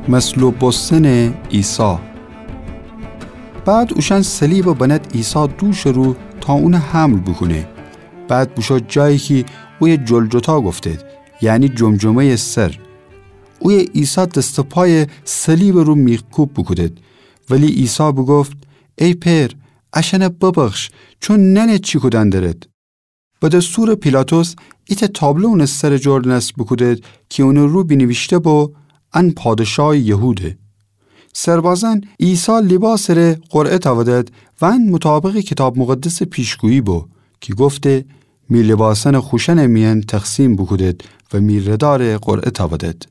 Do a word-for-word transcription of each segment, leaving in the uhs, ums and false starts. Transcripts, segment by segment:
مصلوب بوستنٚ عیسی. بعد اوشأن صلیبَ بنده عیسی دوشٚ رو تا اونَ حمل بوکونه. بعد بوشو جایی کی اویه جلجتا گفتید، یعنی جمجمه‌یٚ سر. اویه عیسی دست و پایَ صلیبٚ رو میخکوب بوکودید. ولی عیسی بوگفت: ای پئر، اشأنَ ببخش، چون نأنید چی کودن درید. به دستورٚ پیلاطس ایتأ تابلو اونٚ سرٚ جور نصب بوکودید کی اونٚ رو بینیویشته بو: ان پادشاهٚ یهوده. سربازأن عیسی لیباسٚ ره قرعه تأودید و ان مطابقٚ کیتاب مقدسٚ پیشگویی بو کی گفته: می لیباسأنَ خوشأنٚ میأن تقسیم بوکودید و می ردارَ قرعه تأودید.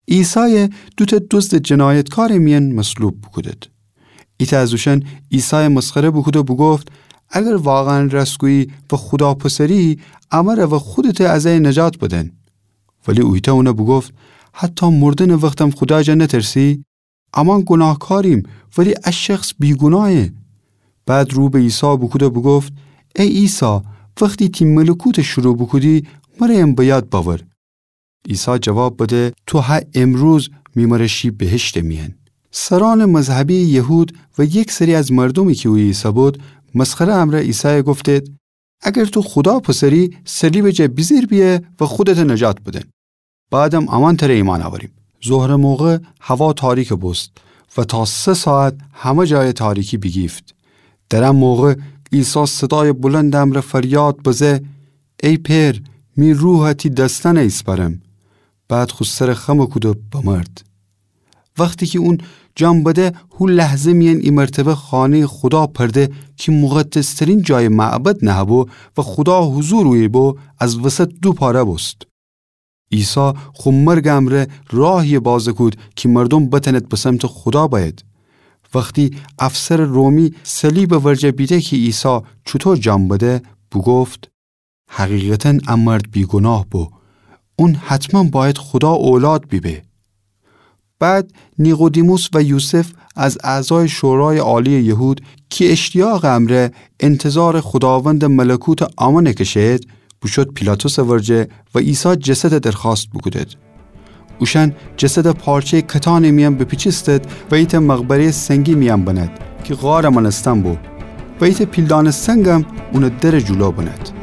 عیسایَ دوتأ دزدٚ جنایتکارٚ میأن مصلوب بوکودید. ایتأ از اوشأن عیسایَ مسخره بوکوده بوگفت: اگر واقعاً راستگویی و خودا پسری، امرَ و خودتَ از ایه نجات بدن. ولی اویتأ اونَ بوگفت: حتی مردنٚ وختم خودا جا نترسی؟ امان گوناهکاریم، ولی ا شخص بیگوناهه. بعد رو به عیسی بوکوده بوگفت: ای عیسی، وختی تی ملکوتَ شروع بوکودی، مرَ ام به یاد بأور. عیسی جواب بده: تو هه امروز می مرَ شی بهشتٚ میأن. سرأنٚ مذهبی یهود و یک سری از مردومی کی اویه ایسه‌بود، مسخره امرأ عیسایَ گفتید: اگر تو خودا پسری، صلیبٚ جا بیجیر بیأ و خودتَ نجات بدن. بعدم امان تره ایمأن اوأریم. ظهرٚ موقع هوا تاریکَ بوست و تا سه ساعت همه جایَ تاریکی بیگیفت. در ا موقع عیسی صدایٚ بلندٚ امرأ فریاد بزه: ای پئر، می روحَ تی دستأنَ ایسپأرم. بعد خو سرَ خمَ کوده بمرد. وختی کی اون جان بده، هو لحظه میأن ای مرتبه خانه‌یٚ خودا پرده کی مقدس‌ترین جایٚ معبد نهه‌بو و خودا حضور اویه بو، از وسط دو پاره بوست. عیسی خو مرگٚ امرأ راهی‌یَ بازَ کود کی مردوم بتأنید به سمتٚ خودا بأید. وختی افسرٚ رومی صلیبٚ ورجه بیده کی عیسی چوطو جان بده، بوگفت: حقیقتاً ا مرد بیگوناه بو. اون حتماً بأید خودا اولاد بیبه. بعد نیقودیموس و یوسف از اعضایٚ شورایٚ عالیٚ یهود کی اشتیاقٚ امرأ انتظارٚ خوداوندٚ ملکوتٚ آمونَ کشه‌یید، بوشود پیلاطسٚ ورجه و عیسی جسدَ درخوأست بوکودید. اوشأن جسدَ پارچه‌یٚ کتانٚ میأن بپیچیستید و ایتأ مقبره‌یٚ سنگی میأن بنید کی غارٚ مأنستن بو و ایتأ پیلدانٚ سنگم اونٚ درٚ جلو بنید.